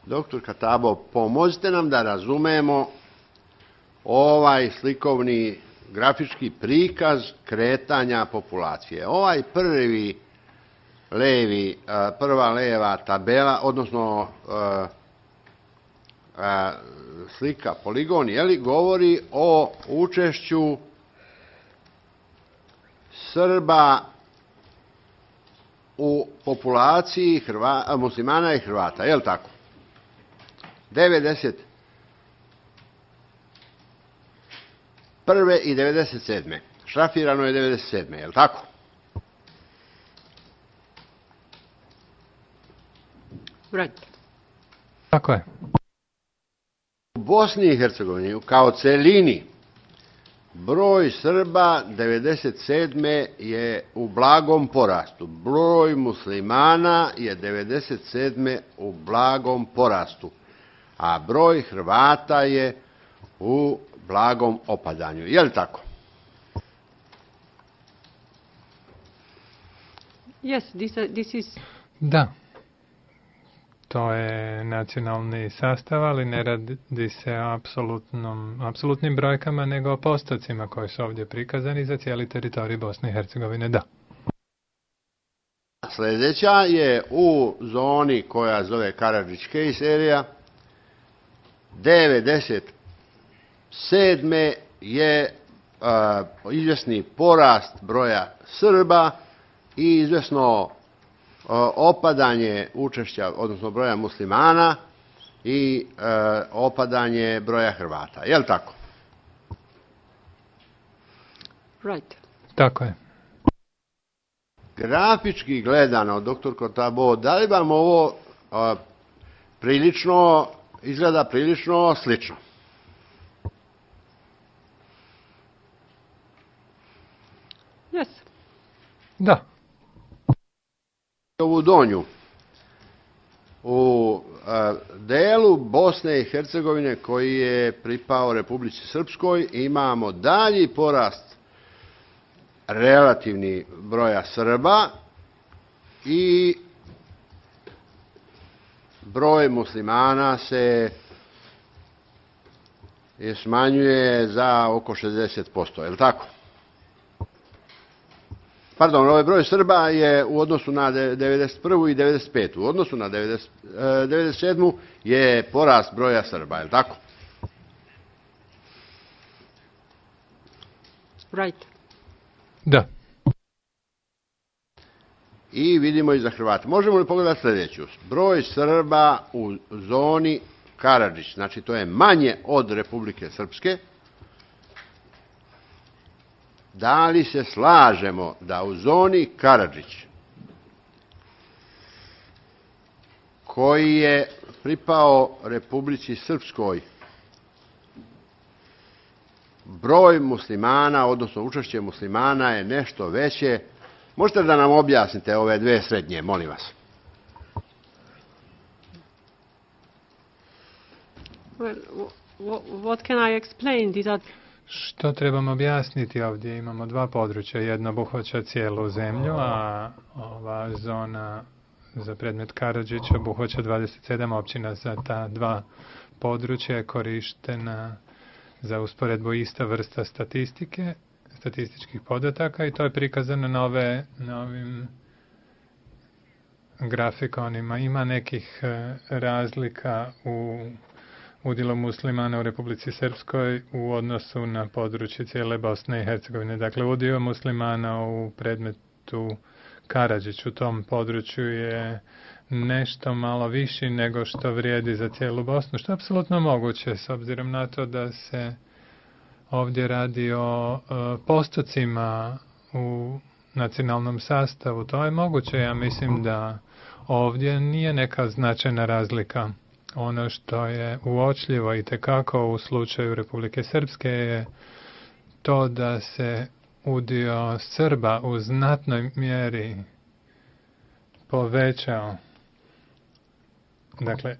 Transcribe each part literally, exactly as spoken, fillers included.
Doktor Katabo, pomozite nam da razumemo ovaj slikovni grafički prikaz kretanja populacije. Ovaj prvi levi, prva leva tabela, odnosno slika poligon, je li, govori o učešću Srba u populaciji Hrva, muslimana i Hrvata, je li tako? devedeset prve i devedeset sedme Šrafirano je devedeset sedme je li tako? Right. Tako je. U Bosni i Hercegovini kao celini broj Srba devedeset sedme je u blagom porastu. Broj muslimana je devedeset sedme u blagom porastu. A broj Hrvata je u blagom opadanju. Je li tako? Yes, this, uh, this is... Da. To je nacionalni sastav, ali ne radi se o apsolutnom, apsolutnim brojkama, nego o postocima koji su ovdje prikazani za cijeli teritorij Bosne i Hercegovine. Da. Sljedeća je u zoni koja zove Karadžić-Kej serija. devedeset sedme je uh, izvjesni porast broja Srba i izvjesno uh, opadanje učešća, odnosno broja muslimana i uh, opadanje broja Hrvata. Je li tako? Right. Tako je. Grafički gledano, doktor Kotabo, da li vam ovo uh, prilično, izgleda prilično slično? Yes. Da. Ovu donju u a, delu Bosne i Hercegovine koji je pripao Republici Srpskoj imamo dalji porast relativni broja Srba i broj muslimana se je smanjuje za oko šezdeset posto, je li tako? Pardon, ovaj broj Srba je u odnosu na devedeset prvu i devedeset petu U odnosu na devedeset sedmu je porast broja Srba, je li tako? Right. Da. I vidimo i za Hrvate. Možemo li pogledati sljedeću? Broj Srba u zoni Karadžić, znači to je manje od Republike Srpske. Da li se slažemo da u zoni Karadžić, koji je pripao Republici Srpskoj, broj muslimana, odnosno učešće muslimana je nešto veće? Možete da nam objasnite ove dve srednje, molim vas? Well, what can I explain? These are... Što trebamo objasniti ovdje? Imamo dva područja. Jedno obuhvaća cijelu zemlju, a ova zona za predmet Karadžić obuhvaća dvadeset sedam općina. Za ta dva područja je korištena za usporedbu ista vrsta statistike, statističkih podataka i to je prikazano na, ove, na ovim grafikonima. Ima nekih razlika u udjelu muslimana u Republici Srpskoj u odnosu na područje cijele Bosne i Hercegovine. Dakle, udio muslimana u predmetu Karadžić u tom području je nešto malo viši nego što vrijedi za cijelu Bosnu, što je apsolutno moguće s obzirom na to da se ovdje radi o postocima u nacionalnom sastavu. To je moguće, ja mislim da ovdje nije neka značajna razlika. Ono što je uočljivo i tekako u slučaju Republike Srpske je to da se udio Srba u znatnoj mjeri povećao. Dakle,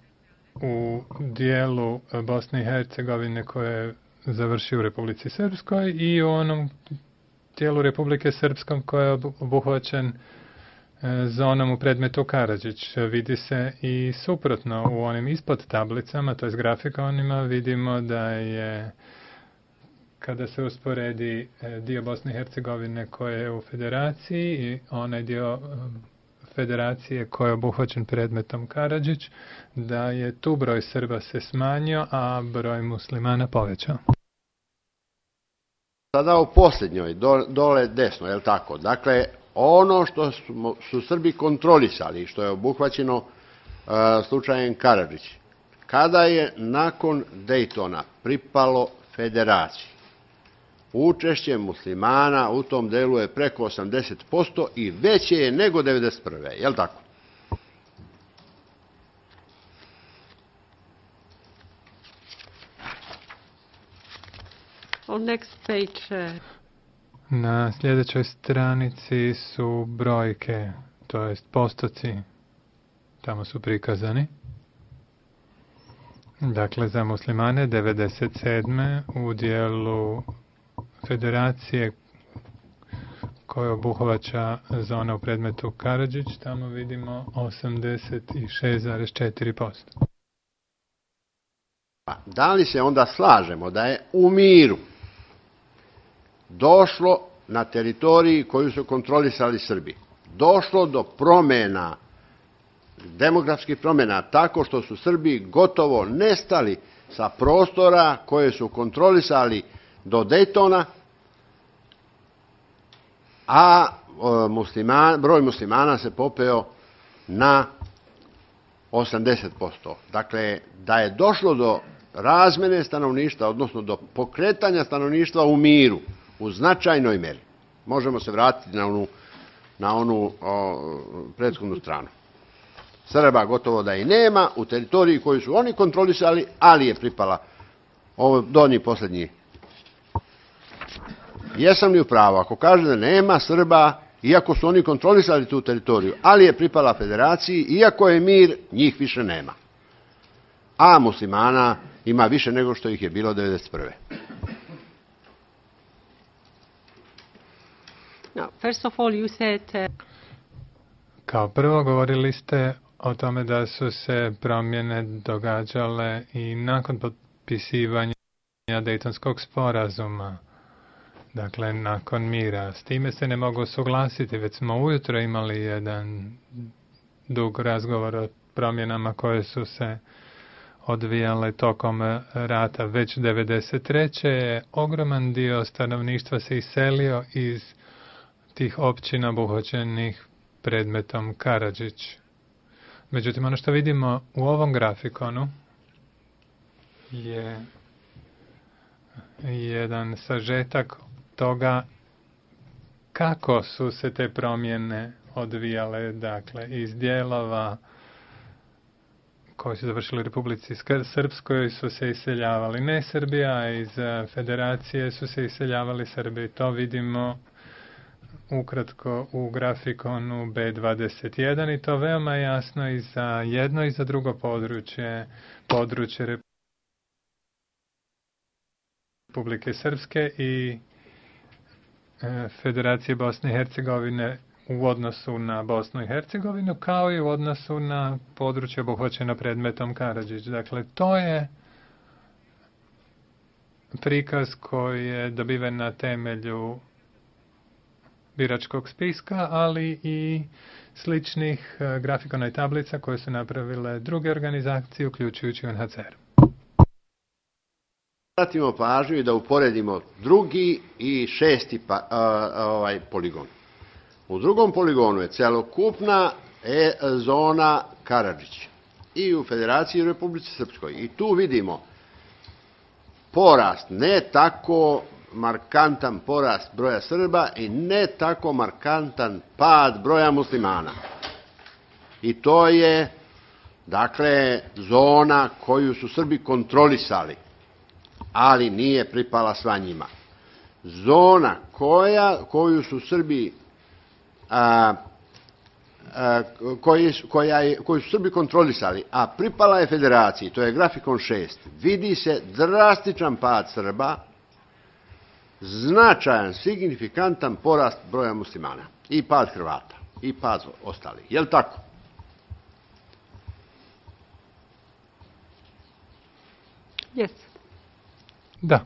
u dijelu Bosne i Hercegovine koje je završio u Republici Srpskoj i u onom dijelu Republike Srpskom koji je obuhvaćen zonom u predmetu Karadžić. Vidi se i suprotno u onim ispod tablicama, to je grafikonima, vidimo da je, kada se usporedi dio Bosne i Hercegovine koje je u federaciji i onaj dio federacije koji je obuhvaćen predmetom Karadžić, da je tu broj Srba se smanjio, a broj muslimana povećao. Sada u posljednjoj, do, dole desno, je li tako? Dakle, ono što su, su Srbi kontrolisali, što je obuhvaćeno uh, slučajem Karadžić, kada je nakon Dejtona pripalo federaciji, učešće muslimana u tom delu je preko osamdeset posto i veće je nego devedeset prve. Je li tako? On next page. Uh... Na sljedećoj stranici su brojke, to jest postoci, tamo su prikazani. Dakle, za muslimane devedeset sedme u dijelu federacije koja obuhvaća zona u predmetu Karadžić, tamo vidimo osamdeset šest zarez četiri posto. Da li se onda slažemo da je u miru došlo na teritoriji koju su kontrolisali Srbi, došlo do promjena, demografskih promjena, tako što su Srbi gotovo nestali sa prostora koje su kontrolisali do Dejtona, a musliman, broj muslimana se popeo na osamdeset posto. Dakle, da je došlo do razmjene stanovništva, odnosno do pokretanja stanovništva u miru, u značajnoj meri. Možemo se vratiti na onu, na onu o, prethodnu stranu. Srba gotovo da i nema u teritoriji koju su oni kontrolisali, ali je pripala ovo donji posljednji. Jesam li u pravu? Ako kaže da nema Srba, iako su oni kontrolisali tu teritoriju, ali je pripala federaciji, iako je mir, njih više nema. A muslimana ima više nego što ih je bilo devedeset prve. No, first of all, you said, uh... Kao prvo govorili ste o tome da su se promjene događale i nakon potpisivanja Dejtonskog sporazuma, dakle nakon mira. S time se ne mogu suglasiti, već smo ujutro imali jedan dug razgovor o promjenama koje su se odvijale tokom rata. Već devedeset treće je ogroman dio stanovništva se iselio iz tih općina obuhvaćenih predmetom Karadžić. Međutim, ono što vidimo u ovom grafikonu je jedan sažetak toga kako su se te promjene odvijale, dakle, iz dijelova koji su završili u Republici Srpskoj su se iseljavali ne Srbi, a iz federacije su se iseljavali Srbi. To vidimo ukratko u grafikonu B dvadeset jedan i to veoma jasno i za jedno i za drugo područje, područje Republike Srpske i Federacije Bosne i Hercegovine u odnosu na Bosnu i Hercegovinu, kao i u odnosu na područje obuhvaćeno predmetom Karadžić. Dakle, to je prikaz koji je dobiven na temelju biračkog spiska, ali i sličnih grafikona i tablica koje su napravile druge organizacije, uključujući U N H C R. Vratimo pažnju i da uporedimo drugi i šesti pa, a, ovaj poligon. U drugom poligonu je celokupna e, zona Karadžić i u Federaciji i u Republici Srpskoj. I tu vidimo porast, ne tako markantan porast broja Srba i ne tako markantan pad broja muslimana. I to je, dakle, zona koju su Srbi kontrolisali, ali nije pripala sva njima. Zona koja, koju su Srbi a, a, koji, koja je, koju su Srbi kontrolisali, a pripala je federaciji, to je grafikon šest, vidi se drastičan pad Srba, značajan, signifikantan porast broja muslimana i pad Hrvata. i pad ostalih. Je li tako? Yes. Da.